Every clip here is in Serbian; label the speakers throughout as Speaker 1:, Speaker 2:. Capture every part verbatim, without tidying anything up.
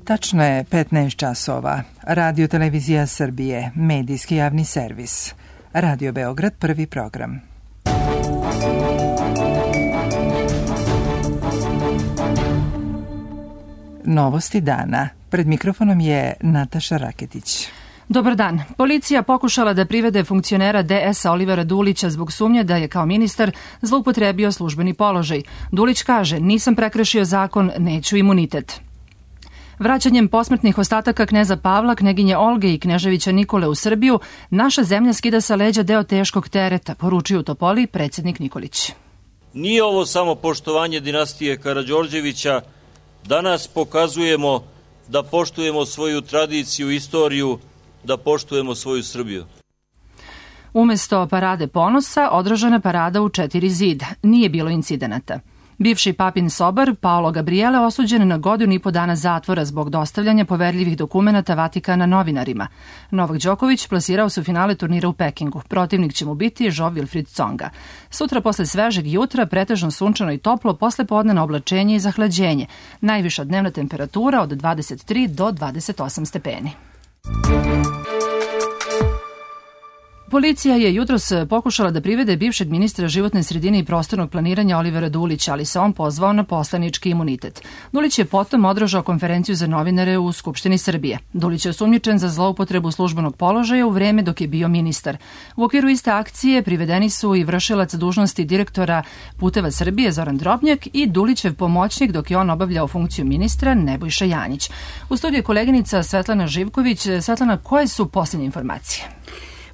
Speaker 1: Tačno je petnaest časova. Radio Televizija Srbije, medijski javni servis. Radio Beograd, prvi program. Novosti dana. Pred mikrofonom je Nataša Raketić.
Speaker 2: Dobar dan. Policija pokušala da privede funkcionera D S-a Olivera Dulića zbog sumnje da je kao ministar zloupotrebio službeni položaj. Dulić kaže, nisam prekršio zakon, neću imunitet. Vraćanjem posmrtnih ostataka kneza Pavla, kneginje Olge i kneževića Nikole u Srbiju, naša zemlja skida sa leđa deo teškog tereta, poručio u Topoli predsjednik Nikolić.
Speaker 3: Nije ovo samo poštovanje dinastije Karađorđevića, danas pokazujemo da poštujemo svoju tradiciju, istoriju, da poštujemo svoju Srbiju.
Speaker 2: Umesto parade ponosa, održana parada u četiri zida. Nije bilo incidenata. Bivši papin sobar, Paolo Gabriele, osuđen na godinu i po dana zatvora zbog dostavljanja poverljivih dokumenata Vatikana novinarima. Novak Đoković plasirao se u finale turnira u Pekingu. Protivnik će mu biti Jo Wilfried Tsonga. Sutra posle svežeg jutra, pretežno sunčano i toplo, posle podnevno oblačenje i zahlađenje. Najviša dnevna temperatura od dvadeset tri do dvadeset osam stepeni. Policija je jutros pokušala da privede bivšeg ministra životne sredine i prostornog planiranja Olivera Dulića, ali se on pozvao na poslanički imunitet. Dulić je potom održao konferenciju za novinare u Skupštini Srbije. Dulić je osumnjičen za zloupotrebu službenog položaja u vreme dok je bio ministar. U okviru iste akcije privedeni su i vršilac dužnosti direktora Puteva Srbije Zoran Drobnjak i Dulićev pomoćnik dok je on obavljao funkciju ministra Nebojša Janjić. U studiju je koleginica Svetlana Živković. Svetlana, koje su posljednje informacije?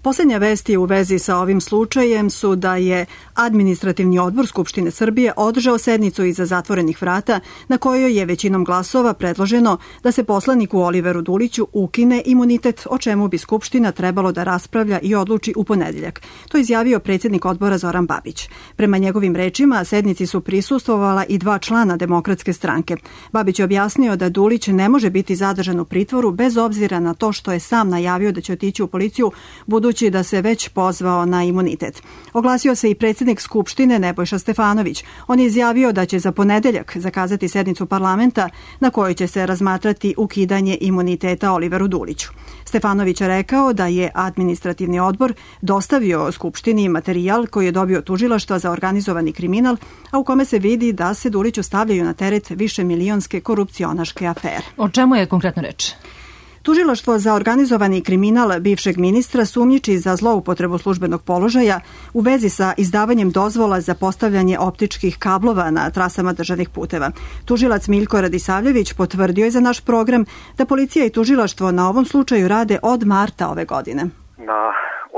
Speaker 4: Poslednja vesti u vezi sa ovim slučajem su da je Administrativni odbor Skupštine Srbije održao sednicu iza zatvorenih vrata na kojoj je većinom glasova predloženo da se poslaniku Oliveru Duliću ukine imunitet, o čemu bi Skupština trebalo da raspravlja i odluči u ponedeljak. To je izjavio predsjednik odbora Zoran Babić. Prema njegovim rečima, sednici su prisustvovala i dva člana Demokratske stranke. Babić je objasnio da Dulić ne može biti zadržan u pritvoru bez obzira na to što je sam najavio da će otići u policiju, budući da se već pozvao na imunitet. Oglasio se i predsjednik Skupštine Nebojša Stefanović. On je izjavio da će za ponedeljak zakazati sednicu parlamenta na kojoj će se razmatrati ukidanje imuniteta Oliveru Duliću. Stefanović je rekao da je Administrativni odbor dostavio Skupštini materijal koji je dobio tužilaštva za organizovani kriminal, a u kome se vidi da se Duliću stavljaju na teret višemilionske korupcionaške afere.
Speaker 2: O čemu je konkretno reč?
Speaker 4: Tužilaštvo za organizovani kriminal bivšeg ministra sumnjiči za zloupotrebu službenog položaja u vezi sa izdavanjem dozvola za postavljanje optičkih kablova na trasama državnih puteva. Tužilac Miljko Radisavljević potvrdio je za naš program da policija i tužilaštvo na ovom slučaju rade od marta ove godine.
Speaker 5: Na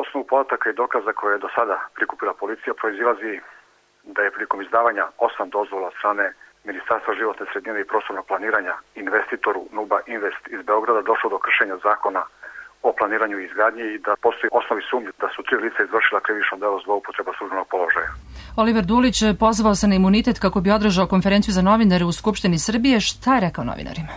Speaker 5: osnovu podataka i dokaza koje je do sada prikupila policija proizilazi da je prilikom izdavanja osam dozvola od strane Ministarstva životne sredine i prostornog planiranja investitoru Nuba Invest iz Beograda došlo do kršenja zakona o planiranju i izgradnji i da postoji osnovi sumnje da su tri lica izvršila krivično delo zloupotreba službenog položaja.
Speaker 2: Oliver Dulić pozvao se na imunitet kako bi održao konferenciju za novinare u Skupštini Srbije. Šta je rekao novinarima?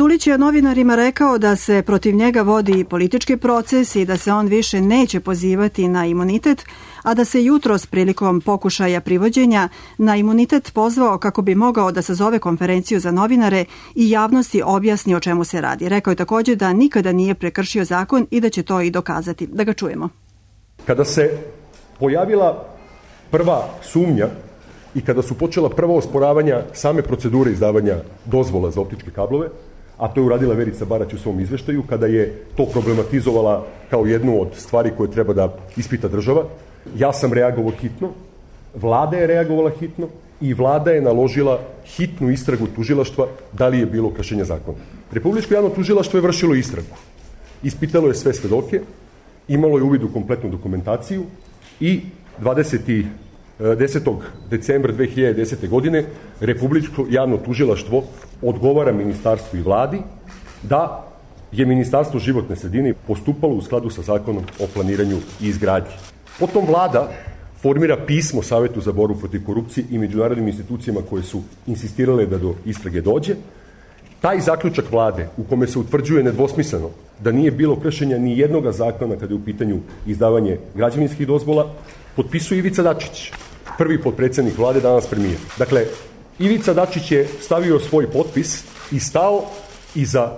Speaker 4: Dulić je novinarima rekao da se protiv njega vodi politički proces i da se on više neće pozivati na imunitet, a da se jutros prilikom pokušaja privođenja na imunitet pozvao kako bi mogao da sazove konferenciju za novinare i javnosti objasni o čemu se radi. Rekao je također da nikada nije prekršio zakon i da će to i dokazati. Da ga čujemo.
Speaker 6: Kada se pojavila prva sumnja i kada su počela prva osporavanja same procedure izdavanja dozvola za optičke kablove, a to je uradila Verica Barać u svom izveštaju, kada je to problematizovala kao jednu od stvari koje treba da ispita država, ja sam reagovao hitno, vlada je reagovala hitno i vlada je naložila hitnu istragu tužilaštva da li je bilo kršenja zakona. Republičko javno tužilaštvo je vršilo istragu. Ispitalo je sve svedoke, imalo je uvid u kompletnu dokumentaciju i dvadesetog desetog decembra dve hiljade desete. godine Republičko javno tužilaštvo odgovara ministarstvu i vladi da je Ministarstvo životne sredine postupalo u skladu sa zakonom o planiranju i izgradnji. Potom vlada formira pismo Savetu za borbu protiv korupcije i međunarodnim institucijama koje su insistirale da do istrage dođe. Taj zaključak vlade u kome se utvrđuje nedvosmisleno da nije bilo kršenja ni jednoga zakona kada je u pitanju izdavanje građevinskih dozvola, potpisuje Ivica Dačić, prvi potpredsjednik vlade, danas premijer. Dakle, Ivica Dačić je stavio svoj potpis i stao i za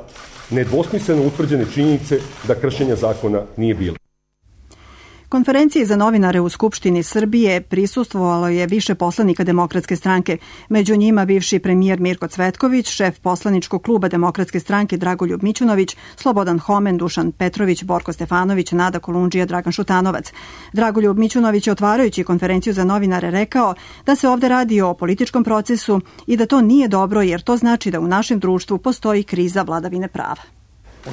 Speaker 6: nedvosmisleno utvrđene činjenice da kršenja zakona nije bilo.
Speaker 4: Konferenciji za novinare u Skupštini Srbije prisustvovalo je više poslanika Demokratske stranke, među njima bivši premijer Mirko Cvetković, šef poslaničkog kluba Demokratske stranke Dragoljub Mićunović, Slobodan Homen, Dušan Petrović, Borko Stefanović, Nada Kolundžija, Dragan Šutanovac. Dragoljub Mićunović je otvarajući konferenciju za novinare rekao da se ovde radi o političkom procesu i da to nije dobro jer to znači da u našem društvu postoji kriza vladavine prava.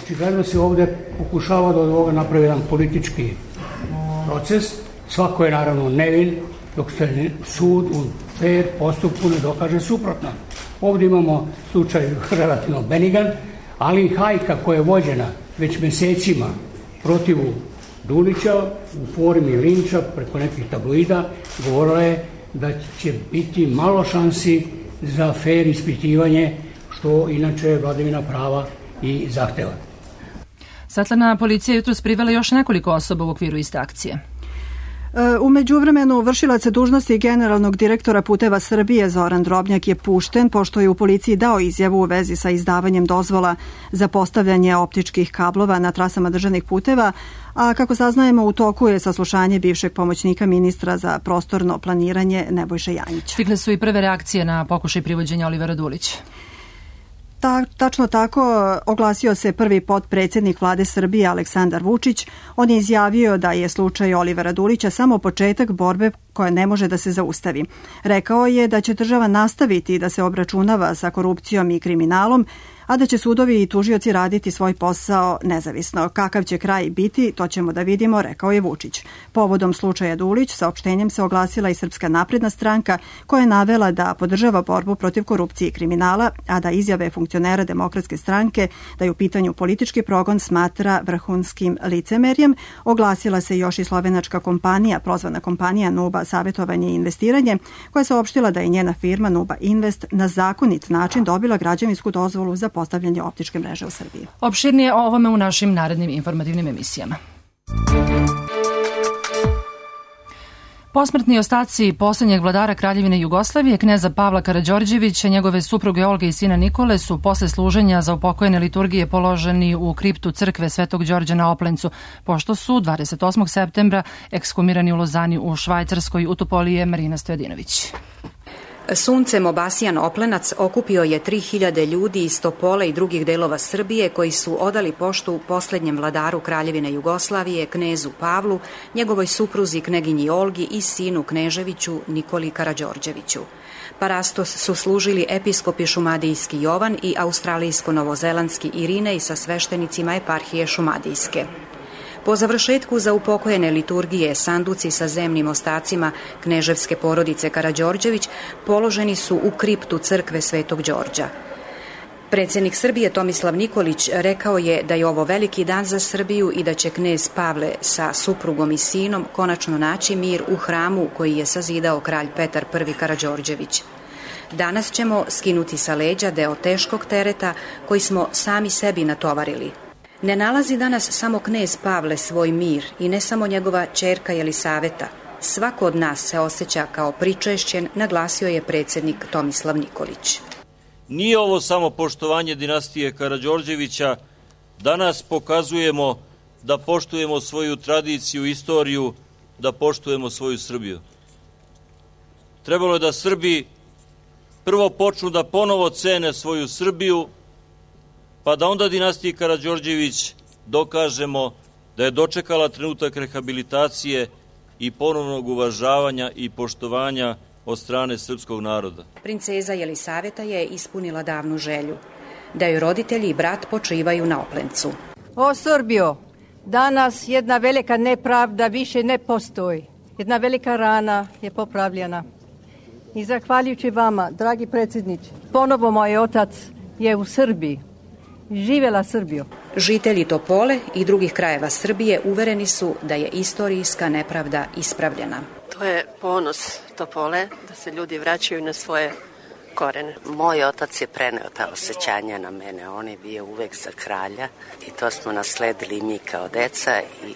Speaker 7: Očigledno se ovde pokušava da od ovoga napravi jedan politički proces, svako je naravno nevin dok se sud u fair postupku ne dokaže suprotno. Ovdje imamo slučaj relativno benigan, ali i hajka koja je vođena već mesecima protivu Dulića u formi linča preko nekih tabloida, govorila je da će biti malo šansi za fair ispitivanje, što inače vladavina prava i zahteva.
Speaker 2: Svetlana, policija jutros privela još nekoliko osoba u okviru iste akcije.
Speaker 4: U međuvremenu vršilac dužnosti generalnog direktora Puteva Srbije Zoran Drobnjak je pušten pošto je u policiji dao izjavu u vezi sa izdavanjem dozvola za postavljanje optičkih kablova na trasama državnih puteva, a kako saznajemo u toku je saslušanje bivšeg pomoćnika ministra za prostorno planiranje Nebojše Janjića.
Speaker 2: Stigle su i prve reakcije na pokušaj privođenja Olivera Dulića.
Speaker 4: Ta, tačno tako oglasio se prvi potpredsjednik vlade Srbije Aleksandar Vučić. On je izjavio da je slučaj Olivera Dulića samo početak borbe koja ne može da se zaustavi. Rekao je da će država nastaviti da se obračunava sa korupcijom i kriminalom, a da će sudovi i tužioci raditi svoj posao nezavisno. Kakav će kraj biti, to ćemo da vidimo, rekao je Vučić. Povodom slučaja Dulić, saopštenjem se oglasila i Srpska napredna stranka, koja je navela da podržava borbu protiv korupcije i kriminala, a da izjave funkcionera Demokratske stranke da je u pitanju politički progon smatra vrhunskim licemerjem. Oglasila se još i slovenačka kompanija, prozvana kompanija Nuba savjetovanje i investiranje, koja je saopštila da je njena firma Nuba Invest na zakonit način dobila građevinsku dozvolu za postavljanje optičke mreže u Srbiji.
Speaker 2: Opširnije o ovome u našim narednim informativnim emisijama. Posmrtni ostaci poslednjeg vladara Kraljevine Jugoslavije, kneza Pavla Karađorđevića, njegove supruge Olge i sina Nikole su posle služenja za upokojene liturgije položeni u kriptu crkve Svetog Đorđa na Oplencu, pošto su dvadeset osmog septembra ekshumirani u Lozani u Švajcarskoj. U Topoli je Marina Stojadinović.
Speaker 8: Suncem obasijan Oplenac okupio je tri hiljade ljudi iz Topole i drugih delova Srbije koji su odali poštu poslednjem vladaru Kraljevine Jugoslavije, knezu Pavlu, njegovoj supruzi kneginji Olgi i sinu Kneževiću Nikoli Karađorđeviću. Parastos su služili episkopi šumadijski Jovan i australijsko-novozelandski Irinej sa sveštenicima eparhije šumadijske. Po završetku za upokojene liturgije sanduci sa zemnim ostacima kneževske porodice Karađorđević položeni su u kriptu crkve Svetog Đorđa. Predsjednik Srbije Tomislav Nikolić rekao je da je ovo veliki dan za Srbiju i da će knez Pavle sa suprugom i sinom konačno naći mir u hramu koji je sazidao kralj Petar prvi Karađorđević. Danas ćemo skinuti sa leđa deo teškog tereta koji smo sami sebi natovarili. Ne nalazi danas samo knez Pavle svoj mir i ne samo njegova ćerka Jelisaveta. Svako od nas se osjeća kao pričešćen, naglasio je predsjednik Tomislav Nikolić.
Speaker 3: Nije ovo samo poštovanje dinastije Karađorđevića. Danas pokazujemo da poštujemo svoju tradiciju, istoriju, da poštujemo svoju Srbiju. Trebalo je da Srbi prvo počnu da ponovo cene svoju Srbiju, pa da onda dinastiji Karađorđević dokažemo da je dočekala trenutak rehabilitacije i ponovnog uvažavanja i poštovanja od strane srpskog naroda.
Speaker 8: Princeza Jelisaveta je ispunila davnu želju, da joj roditelji i brat počivaju na Oplencu.
Speaker 9: O Srbijo, danas jedna velika nepravda više ne postoji. Jedna velika rana je popravljena. I zahvaljujući vama, dragi predsjedniče, ponovo moj otac je u Srbiji. Živela Srbijo.
Speaker 8: Žitelji Topole i drugih krajeva Srbije uvereni su da je istorijska nepravda ispravljena.
Speaker 10: To je ponos Topole, da se ljudi vraćaju na svoje korene. Moj otac je preneo ta osjećanja na mene. On je bio uvek za kralja i to smo nasledili mi kao deca i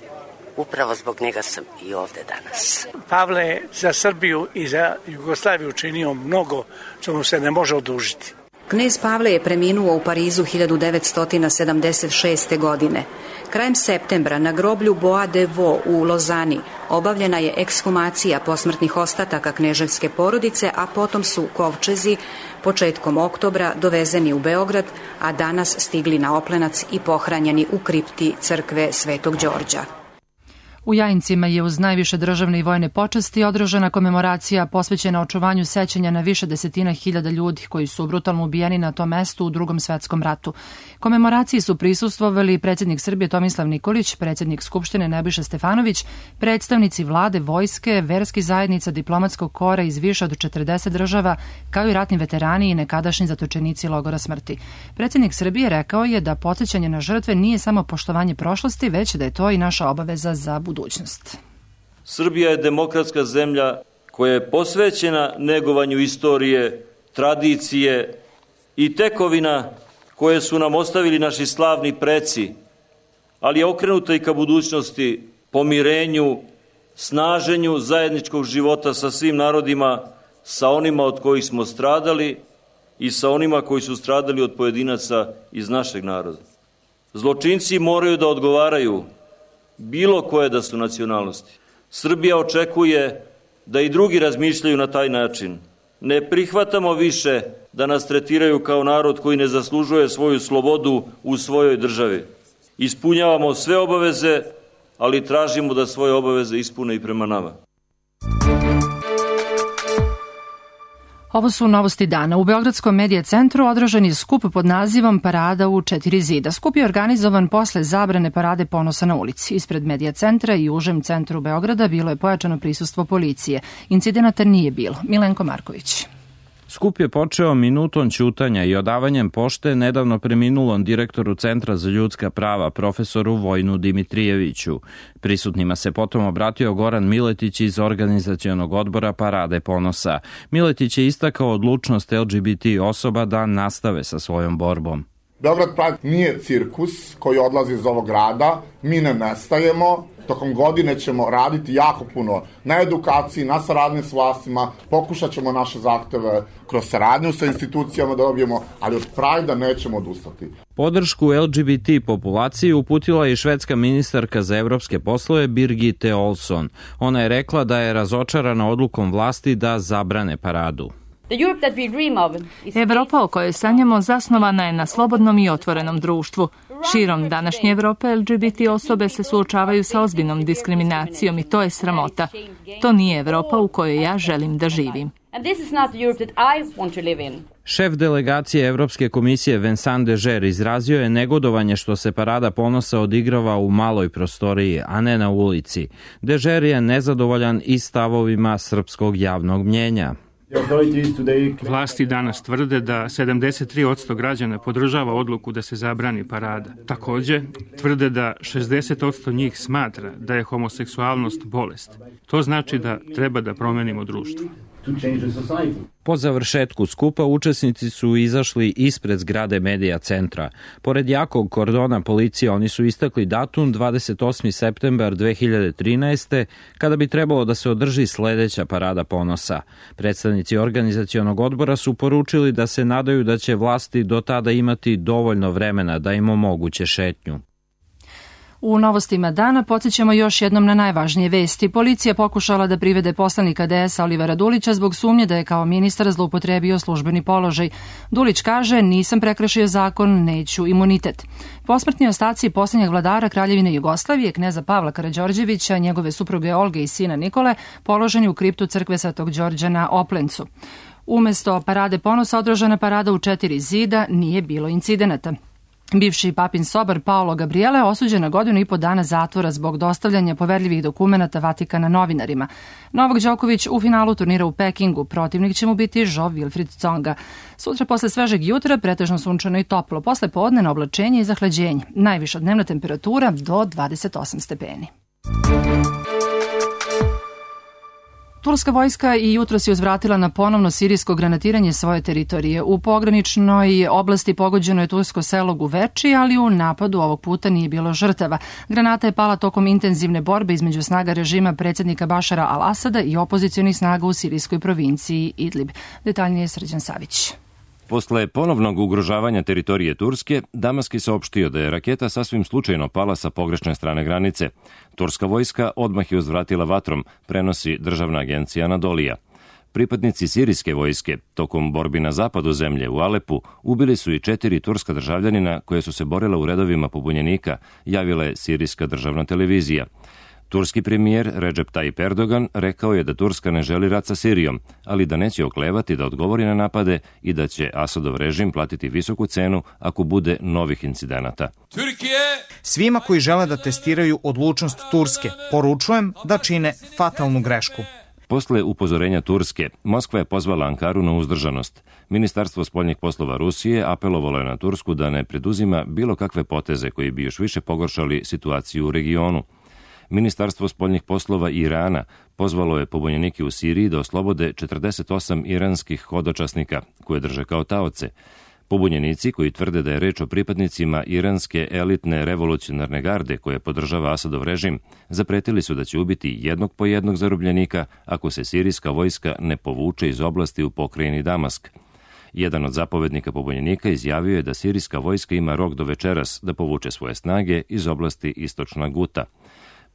Speaker 10: upravo zbog njega sam i ovde danas.
Speaker 11: Pavle je za Srbiju i za Jugoslaviju učinio mnogo što mu se ne može odužiti.
Speaker 8: Knez Pavle je preminuo u Parizu hiljadu devetsto sedamdeset šeste. godine. Krajem septembra na groblju Bois de Vaux u Lozani obavljena je ekshumacija posmrtnih ostataka kneževske porodice, a potom su kovčezi početkom oktobra dovezeni u Beograd, a danas stigli na Oplenac i pohranjeni u kripti crkve Svetog Đorđa.
Speaker 2: U Jajincima je uz najviše državne i vojne počasti održana komemoracija posvećena očuvanju sećanja na više desetina hiljada ljudi koji su brutalno ubijeni na tom mestu u Drugom svetskom ratu. Komemoraciji su prisustvovali predsjednik Srbije Tomislav Nikolić, predsjednik Skupštine Nebojša Stefanović, predstavnici vlade, vojske, verskih zajednica, diplomatskog kora iz više od četrdeset država, kao i ratni veterani i nekadašnji zatočenici logora smrti. Predsjednik Srbije rekao je da podsjećanje na žrtve nije samo poštovanje prošlosti, već da je to i naša obaveza za budućnost. budućnost.
Speaker 3: Srbija je demokratska zemlja koja je posvećena negovanju istorije, tradicije i tekovina koje su nam ostavili naši slavni preci, ali je okrenuta i ka budućnosti, pomirenju, snaženju zajedničkog života sa svim narodima, sa onima od kojih smo stradali i sa onima koji su stradali od pojedinaca iz našeg naroda. Zločinci moraju da odgovaraju, bilo koje da su nacionalnosti. Srbija očekuje da i drugi razmišljaju na taj način. Ne prihvatamo više da nas tretiraju kao narod koji ne zaslužuje svoju slobodu u svojoj državi. Ispunjavamo sve obaveze, ali tražimo da svoje obaveze ispune i prema nama.
Speaker 2: Ovo su novosti dana. U Beogradskom medija centru održan je skup pod nazivom Parada u četiri zida. Skup je organizovan posle zabrane Parade ponosa na ulici. Ispred medija centra i u užem centru Beograda bilo je pojačano prisustvo policije. Incidenata nije bilo. Milenko Marković.
Speaker 11: Skup je počeo minutom ćutanja i odavanjem pošte nedavno preminulom direktoru Centra za ljudska prava, profesoru Vojnu Dimitrijeviću. Prisutnima se potom obratio Goran Miletić iz organizacionog odbora Parade ponosa. Miletić je istakao odlučnost L G B T osoba da nastave sa svojom borbom.
Speaker 12: Beograd Pride nije cirkus koji odlazi iz ovog grada, mi ne nestajemo. Tokom godine ćemo raditi jako puno na edukaciji, na saradnji s vlastima, pokušat ćemo naše zahteve kroz saradnju sa institucijama da dobijemo, ali od Prajda nećemo odustati.
Speaker 11: Podršku L G B T populaciji uputila je i švedska ministarka za evropske poslove Birgitte Olsson. Ona je rekla da je razočarana odlukom vlasti da zabrane paradu.
Speaker 13: Evropa o kojoj sanjamo zasnovana je na slobodnom i otvorenom društvu. Širom današnje Evrope L G B T osobe se suočavaju sa ozbiljnom diskriminacijom i to je sramota. To nije Evropa u kojoj ja želim da živim.
Speaker 11: Šef delegacije Evropske komisije Vincent Dežer izrazio je negodovanje što se Parada ponosa odigrava u maloj prostoriji, a ne na ulici. Dežer je nezadovoljan i stavovima srpskog javnog mnjenja.
Speaker 14: Vlasti danas tvrde da sedamdeset tri posto građana podržava odluku da se zabrani parada. Takođe, tvrde da šezdeset posto njih smatra da je homoseksualnost bolest. To znači da treba da promenimo društvo.
Speaker 11: Po završetku skupa učesnici su izašli ispred zgrade medija centra. Pored jakog kordona policije oni su istakli datum dvadeset osmi septembar dve hiljade trinaeste. kada bi trebalo da se održi sledeća Parada ponosa. Predstavnici organizacionog odbora su poručili da se nadaju da će vlasti do tada imati dovoljno vremena da im omoguće šetnju.
Speaker 2: U novostima dana podsjećamo još jednom na najvažnije vesti. Policija pokušala da privede poslanika D S-a Olivera Dulića zbog sumnje da je kao ministar zloupotrebio službeni položaj. Dulić kaže, nisam prekršio zakon, neću imunitet. Posmrtni ostaci posljednjeg vladara Kraljevine Jugoslavije, kneza Pavla Karađorđevića, njegove supruge Olge i sina Nikole, položeni u kriptu crkve Svetog Đorđa na Oplencu. Umesto Parade ponosa održana parada u četiri zida, nije bilo incidenata. Bivši papin sobar Paolo Gabriele osuđen na godinu i po dana zatvora zbog dostavljanja poverljivih dokumenata Vatikana novinarima. Novak Đoković u finalu turnira u Pekingu, protivnik će mu biti Jo Wilfried Tsonga. Sutra posle svežeg jutra pretežno sunčano i toplo, posle podne na oblačenje i zahlađenje. Najviša dnevna temperatura do dvadeset osam stepeni. Turska vojska i jutro se uzvratila na ponovno sirijsko granatiranje svoje teritorije. U pograničnoj oblasti pogođeno je tursko selo Guveči, ali u napadu ovog puta nije bilo žrtava. Granata je pala tokom intenzivne borbe između snaga režima predsjednika Bašara al-Asada i opozicionih snaga u sirijskoj provinciji Idlib. Detaljnije Srđan Savić.
Speaker 15: Posle ponovnog ugrožavanja teritorije Turske, Damask je saopštio da je raketa sasvim slučajno pala sa pogrešne strane granice. Turska vojska odmah je uzvratila vatrom, prenosi državna agencija Anadolija. Pripadnici sirijske vojske, tokom borbi na zapadu zemlje u Alepu, ubili su i četiri turska državljanina koje su se borila u redovima pobunjenika, javila je sirijska državna televizija. Turski premijer Recep Tayyip Erdogan rekao je da Turska ne želi rat sa Sirijom, ali da neće oklevati da odgovori na napade i da će Asadov režim platiti visoku cenu ako bude novih incidenata.
Speaker 16: Svima koji žele da testiraju odlučnost Turske, poručujem da čine fatalnu grešku.
Speaker 15: Posle upozorenja Turske, Moskva je pozvala Ankaru na uzdržanost. Ministarstvo spoljnih poslova Rusije apelovalo je na Tursku da ne preduzima bilo kakve poteze koji bi još više pogoršali situaciju u regionu. Ministarstvo spoljnih poslova Irana pozvalo je pobunjenike u Siriji da oslobode četrdeset osam iranskih hodočasnika koje drže kao taoce. Pobunjenici, koji tvrde da je reč o pripadnicima iranske elitne revolucionarne garde koje podržava Asadov režim, zapretili su da će ubiti jednog po jednog zarobljenika ako se sirijska vojska ne povuče iz oblasti u pokrajini Damask. Jedan od zapovednika pobunjenika izjavio je da sirijska vojska ima rok do večeras da povuče svoje snage iz oblasti istočna Guta.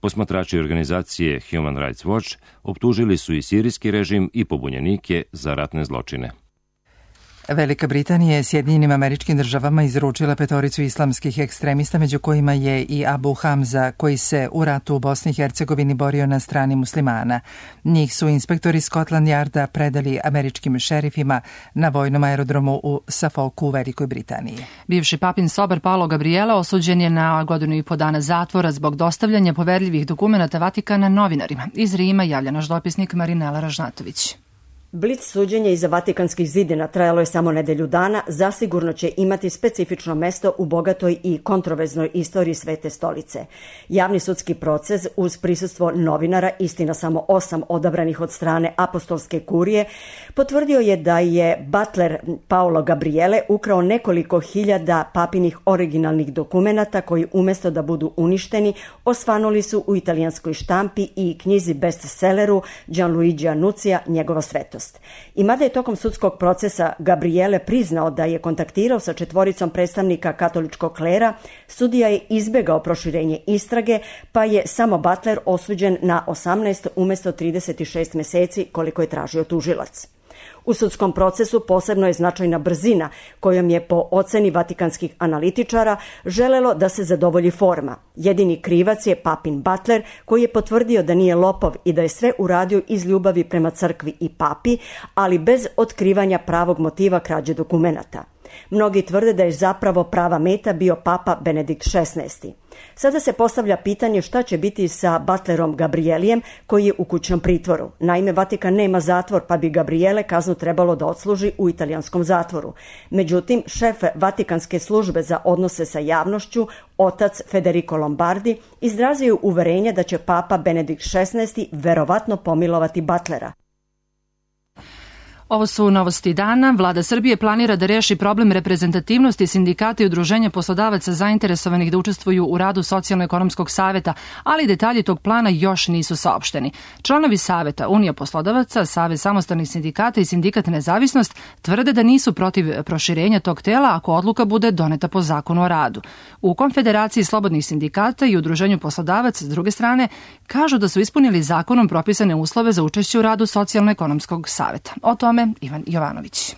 Speaker 15: Posmatrači organizacije Human Rights Watch optužili su i sirijski režim i pobunjenike za ratne zločine.
Speaker 1: Velika Britanija je Sjedinjenim Američkim Državama izručila petoricu islamskih ekstremista, među kojima je i Abu Hamza, koji se u ratu u Bosni i Hercegovini borio na strani muslimana. Njih su inspektori Scotland Yarda predali američkim šerifima na vojnom aerodromu u Suffolku u Velikoj Britaniji.
Speaker 2: Bivši papin sobar Paolo Gabriele osuđen je na godinu i po dana zatvora zbog dostavljanja poverljivih dokumenata Vatikana novinarima. Iz Rima javlja naš dopisnik Marinela Ražnatović.
Speaker 17: Blic suđenje iza Vatikanskih zidina trajalo je samo nedelju dana, zasigurno će imati specifično mesto u bogatoj i kontroverznoj istoriji Svete stolice. Javni sudski proces uz prisustvo novinara, istina samo osam odabranih od strane apostolske kurije, potvrdio je da je butler Paolo Gabriele ukrao nekoliko hiljada papinih originalnih dokumenata koji umesto da budu uništeni, osvanuli su u italijanskoj štampi i knjizi bestselleru Gianluigi Annunzija, njegova svetost. I mada je tokom sudskog procesa Gabriele priznao da je kontaktirao sa četvoricom predstavnika katoličkog klera, sudija je izbegao proširenje istrage, pa je samo Butler osuđen na osamnaest umesto trideset šest meseci koliko je tražio tužilac. U sudskom procesu posebno je značajna brzina kojom je po oceni vatikanskih analitičara želelo da se zadovolji forma. Jedini krivac je papin Butler koji je potvrdio da nije lopov i da je sve uradio iz ljubavi prema crkvi i papi, ali bez otkrivanja pravog motiva krađe dokumenata. Mnogi tvrde da je zapravo prava meta bio papa Benedikt šesnaesti. Sada se postavlja pitanje šta će biti sa Butlerom Gabrielijem koji je u kućnom pritvoru. Naime, Vatikan nema zatvor, pa bi Gabriele kaznu trebalo da odsluži u italijanskom zatvoru. Međutim, šef Vatikanske službe za odnose sa javnošću, otac Federico Lombardi, izrazio uverenje da će papa Benedikt šesnaesti verovatno pomilovati Butlera.
Speaker 2: Ovo su novosti dana. Vlada Srbije planira da reši problem reprezentativnosti sindikata i udruženja poslodavaca zainteresovanih da učestvuju u radu Socijalno-ekonomskog saveta, ali detalji tog plana još nisu saopšteni. Članovi saveta Unija poslodavaca, Savez samostalnih sindikata i Sindikat Nezavisnost tvrde da nisu protiv proširenja tog tela ako odluka bude doneta po zakonu o radu. U Konfederaciji slobodnih sindikata i udruženju poslodavaca, s druge strane, kažu da su ispunili zakonom propisane uslove za učešće u radu Socijalno-ekonomskog saveta. O tome Ivan Jovanović.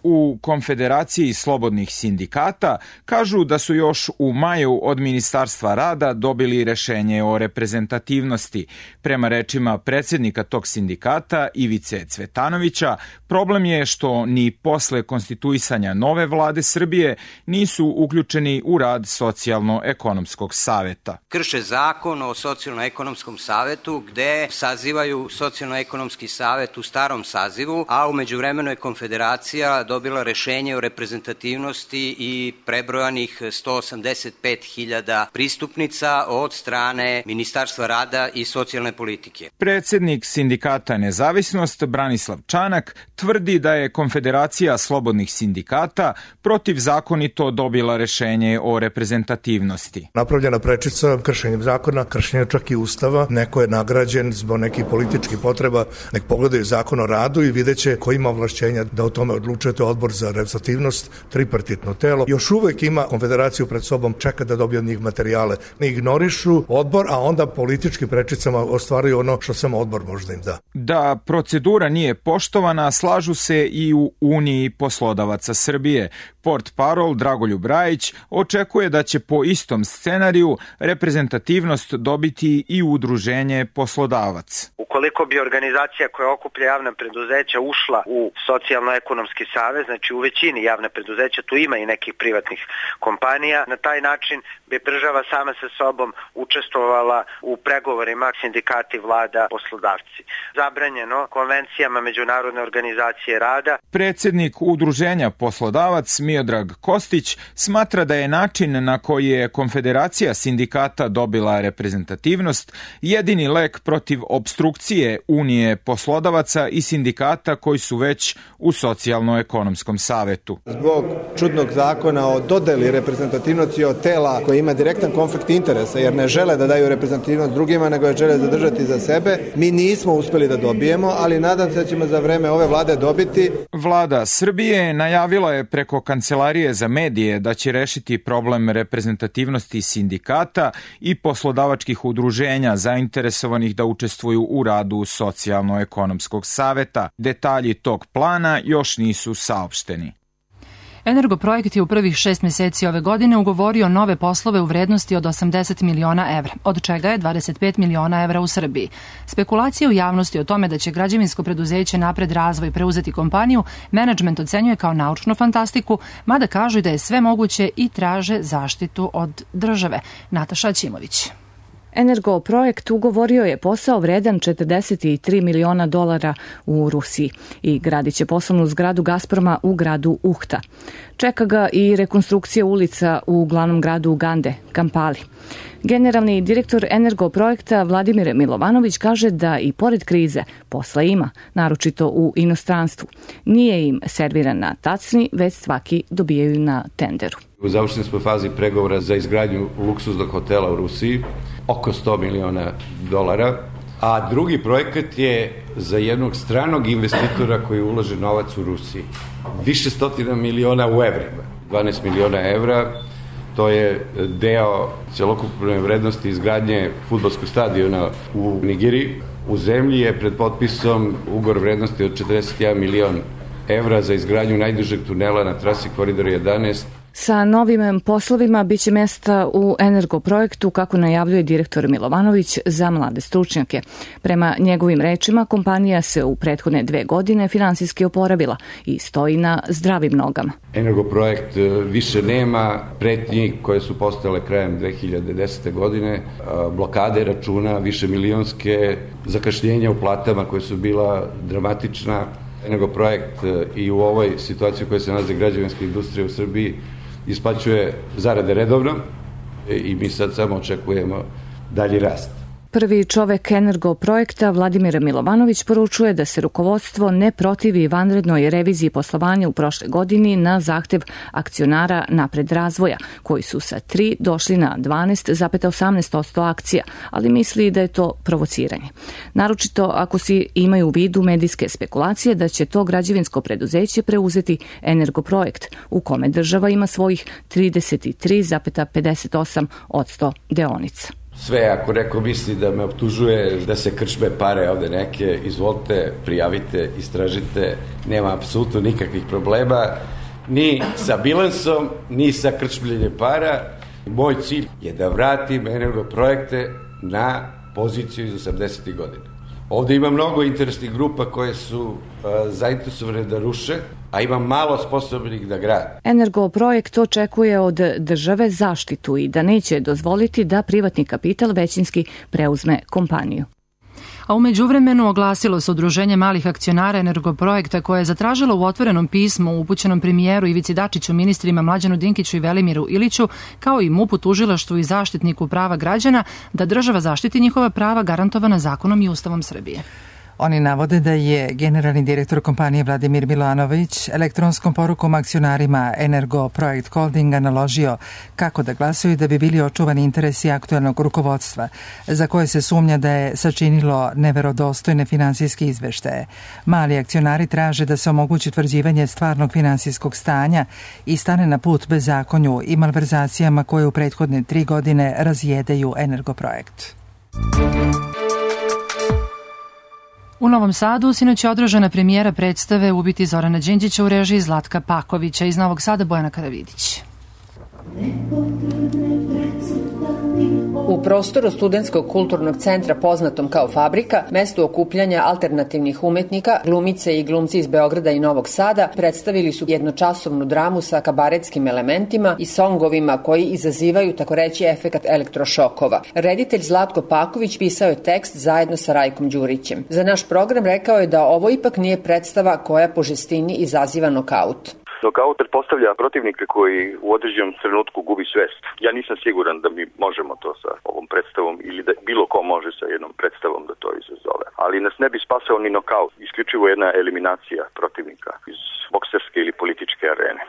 Speaker 18: U Konfederaciji slobodnih sindikata kažu da su još u maju od Ministarstva rada dobili rešenje o reprezentativnosti. Prema rečima predsjednika tog sindikata Ivice Cvetanovića, problem je što ni posle konstituisanja nove vlade Srbije nisu uključeni u rad Socijalno-ekonomskog saveta.
Speaker 19: Krše zakon o Socijalno-ekonomskom savetu gde sazivaju Socijalno-ekonomski savet u starom sazivu, a u međuvremenu je Konfederacija dobila rešenje o reprezentativnosti i prebrojanih sto osamdeset pet hiljada pristupnica od strane Ministarstva rada i socijalne politike.
Speaker 18: Predsjednik Sindikata Nezavisnost Branislav Čanak tvrdi da je Konfederacija slobodnih sindikata protivzakonito dobila rešenje o reprezentativnosti.
Speaker 20: Napravljena prečica kršenjem zakona, kršenjem čak i ustava, neko je nagrađen zbog nekih političkih potreba, nek pogledaju zakon o radu i videće ko ima ovlašćenja da o tome odlučuje. to je odbor za reprezentativnost, tripartitno telo. Još uvek ima konfederaciju pred sobom, čeka da dobije od njih materijale. Ne ignorišu odbor, a onda politički prečicama ostvaruju ono što samo odbor može da im da.
Speaker 18: Da procedura nije poštovana, slažu se i u Uniji poslodavaca Srbije. Portparol Dragoljub Rajić očekuje da će po istom scenariju reprezentativnost dobiti i udruženje poslodavac.
Speaker 21: Ukoliko bi organizacija koja okuplja javna preduzeća ušla u socijalno-ekonomski savez, znači u većini javne preduzeća, tu ima i nekih privatnih kompanija, na taj način bi država sama sa sobom učestvovala u pregovorima sindikati, vlada, poslodavci. Zabranjeno konvencijama Međunarodne organizacije rada.
Speaker 18: Predsednik udruženja poslodavac Miodrag Kostić smatra da je način na koji je Konfederacija sindikata dobila reprezentativnost jedini lek protiv obstrukcije Unije poslodavaca i sindikata koji su već u socijalno-ekonomskom savetu.
Speaker 22: Zbog čudnog zakona o dodeli reprezentativnosti od tela koji ima direktan konflikt interesa, jer ne žele da daju reprezentativnost drugima, nego je žele zadržati za sebe, mi nismo uspeli da dobijemo, ali nadam se da ćemo za vreme ove vlade dobiti.
Speaker 18: Vlada Srbije najavila je preko Kancelarije za medije da će rešiti problem reprezentativnosti sindikata i poslodavačkih udruženja zainteresovanih da učestvuju u radu Socijalno-ekonomskog saveta. Detalji tog plana još nisu saopšteni.
Speaker 2: Energoprojekt je u prvih šest meseci ove godine ugovorio nove poslove u vrednosti od osamdeset miliona evra, od čega je dvadeset pet miliona evra u Srbiji. Spekulacije u javnosti o tome da će građevinsko preduzeće Napred razvoj preuzeti kompaniju, menadžment ocenjuje kao naučnu fantastiku, mada kažu da je sve moguće i traže zaštitu od države. Nataša Ćimović.
Speaker 23: Energoprojekt ugovorio je posao vredan četrdeset tri miliona dolara u Rusiji i gradit će poslovnu zgradu Gazproma u gradu Uhta. Čeka ga i rekonstrukcija ulica u glavnom gradu Ugande, Kampali. Generalni direktor Energoprojekta Vladimir Milovanović kaže da i pored krize posla ima, naročito u inostranstvu. Nije im serviran na tacni, već svaki dobijaju na tenderu.
Speaker 24: U završenoj smo fazi pregovora za izgradnju luksuznog hotela u Rusiji, oko sto miliona dolara, a drugi projekat je za jednog stranog investitora koji ulaže novac u Rusiji. Više stotina miliona u evrima, dvanaest miliona evra, to je deo celokupne vrednosti izgradnje fudbalskog stadiona u Nigeriji. U zemlji je pred potpisom ugovor vrednosti od četrdeset jedan milion evra za izgradnju najdužeg tunela na trasi Koridora jedanaest.
Speaker 23: Sa novim poslovima biće mesta u Energoprojektu, kako najavljuje direktor Milovanović, za mlade stručnjake. Prema njegovim rečima, kompanija se u prethodne dve godine finansijski oporavila i stoji na zdravim nogama.
Speaker 24: Energoprojekt više nema pretnji koje su postale krajem dve hiljade desete. godine, blokade računa, više milionske, zakašnjenja u platama koje su bila dramatična. Energoprojekt i u ovoj situaciji u kojoj se nalazi građevinska industrija u Srbiji isplaćuje zarade redovno i mi sad samo očekujemo dalji rast.
Speaker 23: Prvi čovek Energoprojekta Vladimir Milovanović poručuje da se rukovodstvo ne protivi vanrednoj reviziji poslovanja u prošle godini na zahtev akcionara Napred razvoja, koji su sa tri došli na dvanaest zarez osamnaest posto akcija, ali misli da je to provociranje. Naročito ako si imaju u vidu medijske spekulacije da će to građevinsko preduzeće preuzeti Energoprojekt, u kome država ima svojih trideset tri zarez pedeset osam posto deonica.
Speaker 24: Sve, ako neko misli da me optužuje da se krčme pare ovde neke, izvolite, prijavite, istražite, nema apsolutno nikakvih problema, ni sa bilansom, ni sa krčmljenjem para. Moj cilj je da vratim Energoprojekte na poziciju iz osamdesetih godina. Ovde ima mnogo interesnih grupa koje su uh, zainteresovane da ruše, a ima malo sposobnih da grade.
Speaker 23: Energoprojekt očekuje od države zaštitu i da neće dozvoliti da privatni kapital većinski preuzme kompaniju.
Speaker 2: A u međuvremenu oglasilo se Udruženje malih akcionara Energoprojekta koje je zatražilo u otvorenom pismu upućenom premijeru Ivici Dačiću, ministrima Mlađanu Dinkiću i Velimiru Iliću, kao i MUP-u, tužilaštvu i zaštitniku prava građana, da država zaštiti njihova prava garantovana zakonom i Ustavom Srbije.
Speaker 1: Oni navode da je generalni direktor kompanije Vladimir Milanović elektronskom porukom akcionarima Energo Projekt Holdinga naložio kako da glasuju da bi bili očuvani interesi aktuelnog rukovodstva, za koje se sumnja da je sačinilo neverodostojne finansijske izveštaje. Mali akcionari traže da se omogući utvrđivanje stvarnog finansijskog stanja i stane na put bezakonju i malverzacijama koje u prethodne tri godine razjedaju Energo Projekt.
Speaker 2: U Novom Sadu sinoć je održana premijera predstave Ubiti Zorana Đinđića u režiji Zlatka Pakovića. Iz Novog Sada Bojana Karavidić.
Speaker 4: U prostoru Studentskog kulturnog centra poznatom kao Fabrika, mesto okupljanja alternativnih umetnika, glumice i glumci iz Beograda i Novog Sada predstavili su jednočasovnu dramu sa kabaretskim elementima i songovima koji izazivaju takoreći efekat elektrošokova. Reditelj Zlatko Paković pisao je tekst zajedno sa Rajkom Đurićem. Za naš program rekao je da ovo ipak nije predstava koja po žestini izaziva nokaut.
Speaker 5: Nokaut pretpostavlja protivnika koji u određenom trenutku gubi svest. Ja nisam siguran da mi možemo to sa ovom predstavom ili da bilo ko može sa jednom predstavom da to izazove. Ali nas ne bi spasao ni nokaut, isključivo jedna eliminacija protivnika iz bokserske ili političke arene.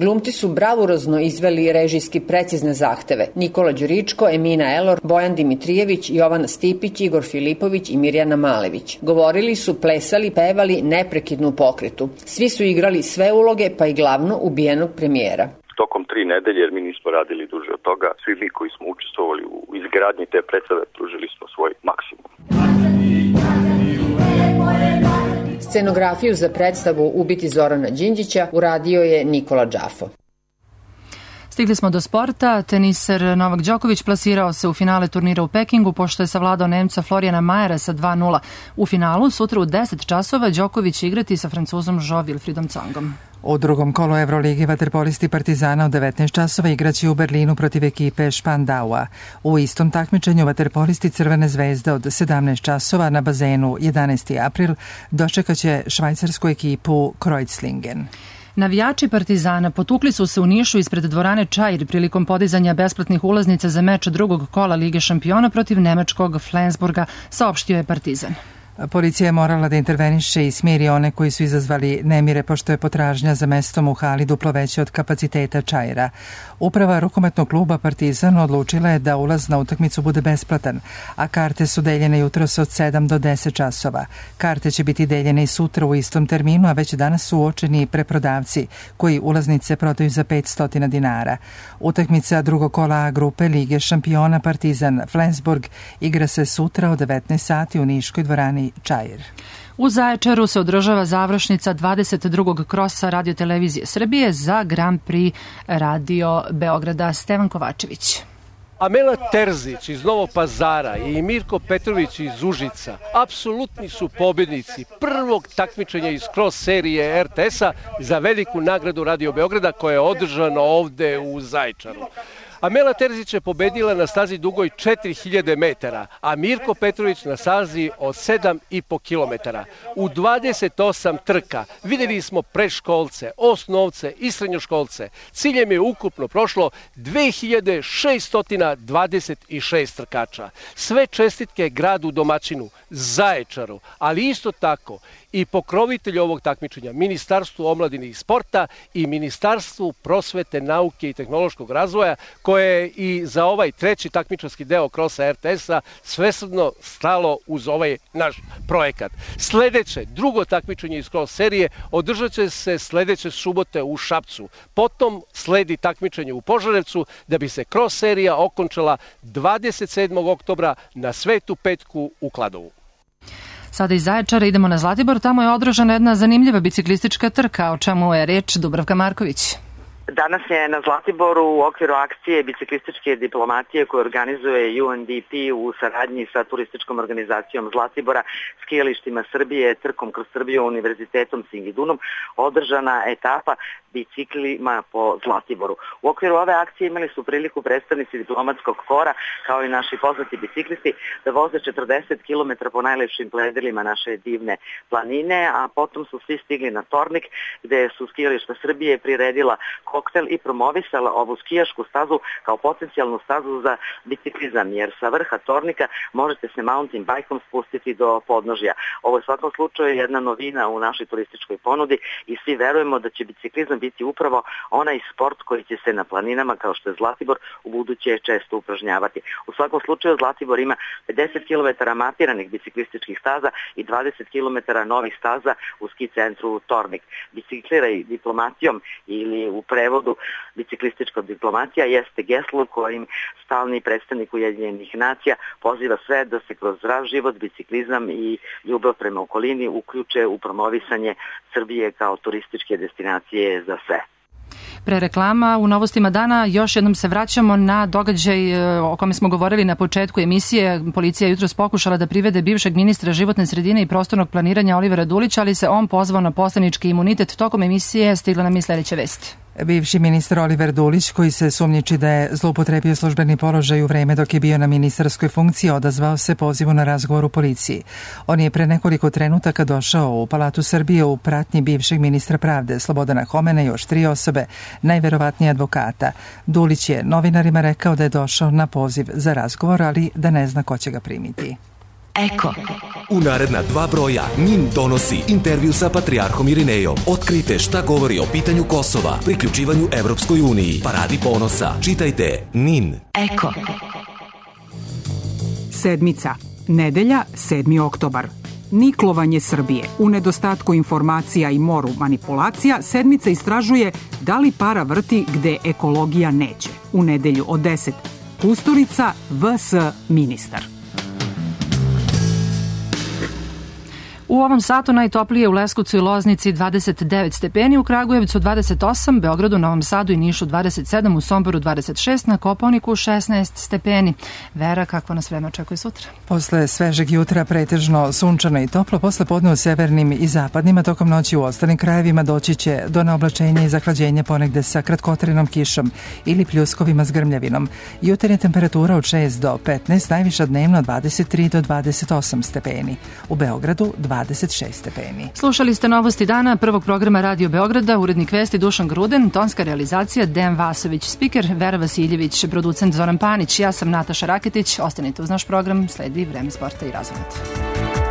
Speaker 4: Glumci su bravurozno izveli režijski precizne zahteve. Nikola Đuričko, Emina Elor, Bojan Dimitrijević, Jovan Stipić, Igor Filipović i Mirjana Malević. Govorili su, plesali, pevali neprekidnu pokretu. Svi su igrali sve uloge, pa i glavno ubijenog premijera.
Speaker 5: Tokom tri nedelje, jer mi nismo radili duže od toga, svi mi koji smo učestvovali u izgradnji te predstave pružili smo svoj maksimum.
Speaker 4: Scenografiju za predstavu Ubiti Zorana Đinđića uradio je Nikola Đafo.
Speaker 2: Stigli smo do sporta. Teniser Novak Đoković plasirao se u finale turnira u Pekingu pošto je savladao Nemca Florijana Majera sa dva nula. U finalu sutra u deset časova Đoković će igrati sa Francuzom Jo Wilfriedom Tsongom.
Speaker 1: U drugom kolu Evrolige vaterpolisti Partizana u devetnaest časova igraće u Berlinu protiv ekipe Špandaua. U istom takmičenju vaterpolisti Crvene zvezde od sedamnaest časova na bazenu jedanaesti april dočekaće švajcarsku ekipu Kreuzlingen.
Speaker 2: Navijači Partizana potukli su se u Nišu ispred dvorane Čair prilikom podizanja besplatnih ulaznica za meč drugog kola Lige šampiona protiv nemačkog Flensburga, saopštio je Partizan.
Speaker 1: Policija je morala da interveniše i smiri one koji su izazvali nemire pošto je potražnja za mestom u hali duplo veća od kapaciteta Čaira. Uprava rukometnog kluba Partizan odlučila je da ulaz na utakmicu bude besplatan, a karte su deljene jutros od sedam do deset časova. Karte će biti deljene i sutra u istom terminu, a već danas su uočeni preprodavci koji ulaznice prodaju za petsto dinara. Utakmica drugog kola A grupe Lige šampiona Partizan Flensburg igra se sutra od devetnaest sati u Niškoj dvorani Čair.
Speaker 2: U Zaječaru se održava završnica dvadeset drugog krosa Radio-televizije Srbije za Grand Prix Radio Beograda. Stevan Kovačević.
Speaker 6: Amela Terzić iz Novog Pazara i Mirko Petrović iz Užica apsolutni su pobjednici prvog takmičenja iz cross serije R T S-a za veliku nagradu Radio Beograda koja je održana ovde u Zaječaru. Amela Terzić je pobedila na stazi dugoj četiri hiljade metara, a Mirko Petrović na stazi od sedam i po kilometara. U dvadeset osam trka videli smo predškolce, osnovce i srednjoškolce. Ciljem je ukupno prošlo dve hiljade šesto dvadeset šest trkača. Sve čestitke gradu domaćinu, Zaječaru, ali isto tako i pokrovitelju ovog takmičenja, Ministarstvu omladine i sporta i Ministarstvu prosvete, nauke i tehnološkog razvoja, koje je i za ovaj treći takmičarski deo krosa R T S-a svesrdno stalo uz ovaj naš projekat. Sledeće, drugo takmičenje iz cross serije održat će se sledeće subote u Šapcu. Potom sledi takmičenje u Požarevcu da bi se cross serija okončala dvadeset sedmog oktobra na Svetu petku u Kladovu.
Speaker 2: Sada iz Zaječara idemo na Zlatibor, tamo je održana jedna zanimljiva biciklistička trka, o čemu je reč Dubravka Marković.
Speaker 7: Danas je na Zlatiboru u okviru akcije biciklističke diplomatije koju organizuje U N D P u saradnji sa turističkom organizacijom Zlatibora, skijalištima Srbije, trkom kroz Srbiju, univerzitetom Singidunom, održana etapa biciklima po Zlatiboru. U okviru ove akcije imali su priliku predstavnici diplomatskog kora, kao i naši poznati biciklisti, da voze četrdeset kilometara po najlepšim predjelima naše divne planine, a potom su svi stigli na Tornik, gde su skijališta Srbije priredila koktel i promovisala ovu skijašku stazu kao potencijalnu stazu za biciklizam, jer sa vrha Tornika možete se mountain bajkom spustiti do podnožja. Ovo je u svakom slučaju jedna novina u našoj turističkoj ponudi i svi verujemo da će biciklizam biti upravo onaj sport koji će se na planinama kao što je Zlatibor u buduće često upražnjavati. U svakom slučaju Zlatibor ima pedeset kilometara mapiranih biciklističkih staza i dvadeset kilometara novih staza u ski centru Tornik. Bicikliraj diplomatijom ili u prevodu biciklistička diplomatija jeste geslo kojim stalni predstavnik Ujedinjenih nacija poziva sve da se kroz zdrav život, biciklizam i ljubav prema okolini uključe u promovisanje Srbije kao turističke destinacije za sve.
Speaker 2: Pre reklama u Novostima dana još jednom se vraćamo na događaj o kome smo govorili na početku emisije. Policija je jutros pokušala da privede bivšeg ministra životne sredine i prostornog planiranja Olivera Dulića, ali se on pozvao na poslanički imunitet. Tokom emisije stigla nam i sledeća vest.
Speaker 1: Bivši ministar Oliver Dulić, koji se sumnjiči da je zloupotrebio službeni položaj u vreme dok je bio na ministarskoj funkciji, odazvao se pozivu na razgovor u policiji. On je pre nekoliko trenutaka došao u Palatu Srbije u pratnji bivšeg ministra pravde Slobodana Homena i još tri osobe, najverovatnije advokata. Dulić je novinarima rekao da je došao na poziv za razgovor, ali da ne zna ko će ga primiti.
Speaker 3: Eko. U naredna dva broja NIN donosi intervju sa patrijarhom Irinejom. Otkrite šta govori o pitanju Kosova, priključivanju Evropskoj uniji, paradi ponosa. Čitajte NIN.
Speaker 8: Eko. Sedmica. Nedelja, sedmi oktobar. Niklovanje Srbije. U nedostatku informacija i moru manipulacija, Sedmica istražuje da li para vrti gde ekologija neće. U nedelju od deset. Kusturica, V S ministar.
Speaker 2: U ovom satu najtoplije u Leskovcu i Loznici dvadeset devet stepeni, u Kragujevcu dvadeset osam, Beogradu, Novom Sadu i Nišu dvadeset sedam, u Somboru dvadeset šest, na Kopaoniku šesnaest stepeni. Vera, kakvo nas vreme očekuje sutra?
Speaker 1: Posle svežeg jutra pretežno sunčano i toplo, posle podne u severnim i zapadnima, tokom noći u ostalim krajevima doći će do neoblačenja i zahlađenja ponegde sa kratkotrenom kišom ili pljuskovima s grmljavinom. Jutarnja temperatura od šest do petnaest, najviša dnevno dvadeset tri do dvadeset osam stepeni. U Beogradu dvadeset šest stepeni.
Speaker 2: Slušali ste Novosti dana prvog programa Radio Beograda, urednik vesti Dušan Gruden, tonska realizacija Dejan Vasović, spiker Vera Vasiljević, producent Zoran Panić, ja sam Nataša Raketić. Ostanite uz naš program, sledi Vreme sporta i razvoja.